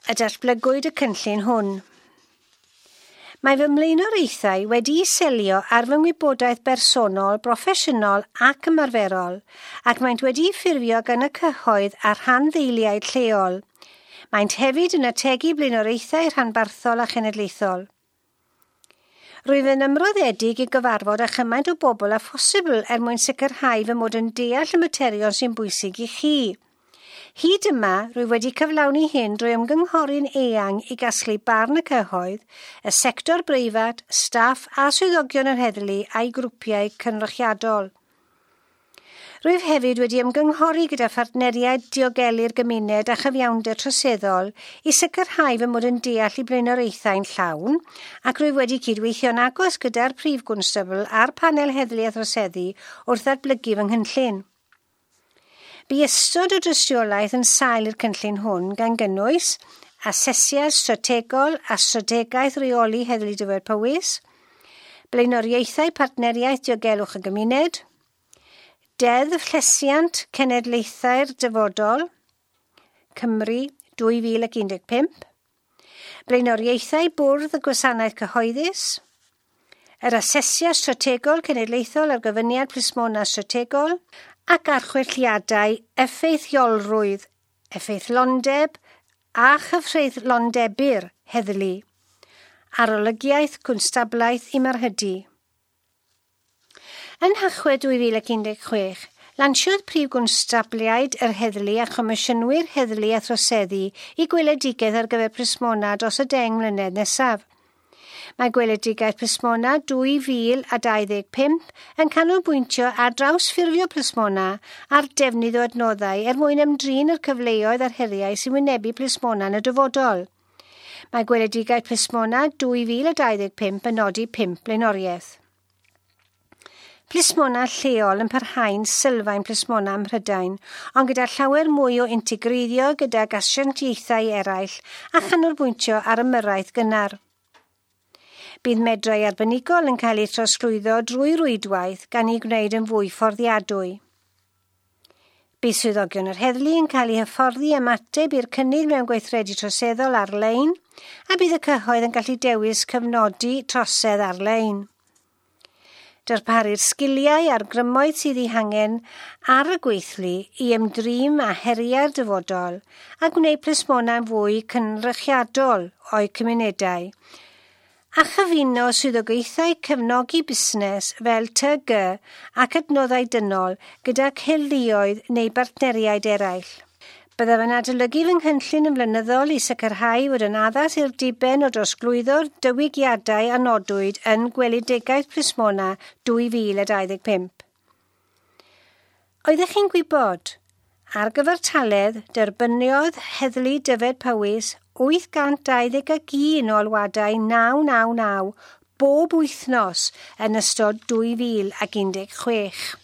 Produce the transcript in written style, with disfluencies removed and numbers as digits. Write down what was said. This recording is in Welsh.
y datblygwyd y cynllun hwn. Mae fy mlaenoriaethau wedi'u selio ar fy ngwybodaeth bersonol, broffesiynol ac ymarferol, ac maent wedi'u ffurfio gan y cyhoedd a rhanddeiliaid lleol. Maent hefyd yn ategu blaenoriaethau rhanbarthol a chenedlaethol. Rwyf yn ymroddedig i gyfarfod â chymaint o bobl â phosibl er mwyn sicrhau fy mod yn deall y materion sy'n bwysig i chi. Hyd yma, rwyf wedi cyflawni hyn drwy ymgynghori'n eang i gasglu barn y cyhoedd, y sector breifat, staff a swyddogion yr heddlu a'i grwpiau cynrychiadol. Rwyf hefyd wedi ymgynghori gyda phartneriaid diogelu'r gymuned a chyfiawnder troseddol i sicrhau fy mod yn deall eu blaenoriaethau'n llawn, ac rwyf wedi cydweithio'n agos gyda'r prif gwnstabl a'r panel heddlu a throseddu wrth ddatblygu fy nghynllun. Bu ystod o dystiolaeth yn sail i'r cynllun hwn gan gynnwys asesiad strategol a strategaeth reoli Heddlu Dyfed Powys, blaenoriaethau partneriaeth diogelwch y gymuned, Deddf Llesiant Cenedlaethau'r Dyfodol, Cymru 2015, Blaenoriaethau Bwrdd y Gwasanaeth Cyhoeddus, yr Asesiad Strategol Cenedlaethol ar Gyfyniad Plismona Strategol ac archwiliadau effeithiolrwydd, effeithlondeb a chyfreithlondebu'r heddlu, arolygiaeth cwnstablaeth i Marhydu. Yn Nhachwedd 2016, lansiodd prif gwnstabliaid yr heddlu a chomisiynwyr heddlu a throseddu eu gweledigaeth ar gyfer plismona dros y 10 mlynedd nesaf. Mae gweledigaeth plismona 2025 yn canolbwyntio ar drawsffurfio plismona a'r defnydd o adnoddau er mwyn ymdrin â'r cyfleoedd a'r heriau sy'n wynebu plismona yn y dyfodol. Mae gweledigaeth plismona 2025 yn nodi pump blaenoriaeth. Plismona lleol yn parhau'n sylfaen plismona ym Mhrydain, ond gyda llawer mwy o integreiddio gydag asiantaethau eraill a chanolbwyntio ar ymyrraeth gynnar. Bydd medrau arbenigol yn cael eu trosglwyddo drwy rwydwaith gan eu gwneud yn fwy fforddiadwy. Bydd swyddogion yr heddlu yn cael eu hyfforddi ymateb i'r cynnydd mewn gweithredu troseddol ar-lein a bydd y cyhoedd yn gallu dewis cofnodi trosedd ar-lein. Darparu'r sgiliau a'r grymoedd sydd eu hangen ar y gweithlu i ymdrin â heriau'r dyfodol a gwneud plismona'n fwy cynrychiadol o'u cymunedau a chyfuno swyddogaethau cefnogi busnes fel TG ac adnoddau dynol gyda heddluoedd neu bartneriaid eraill. Byddaf yn adolygu fy nghynllun yn flynyddol i sicrhau fod yn addas i'r diben o drosglwyddo'r diwygiadau a nodwyd yn Gweledigaeth Plismona 2025. Oeddech chi'n gwybod? Ar gyfartaledd, derbyniodd Heddlu Dyfed Powys 821 o alwadau 999 bob wythnos yn ystod 2016.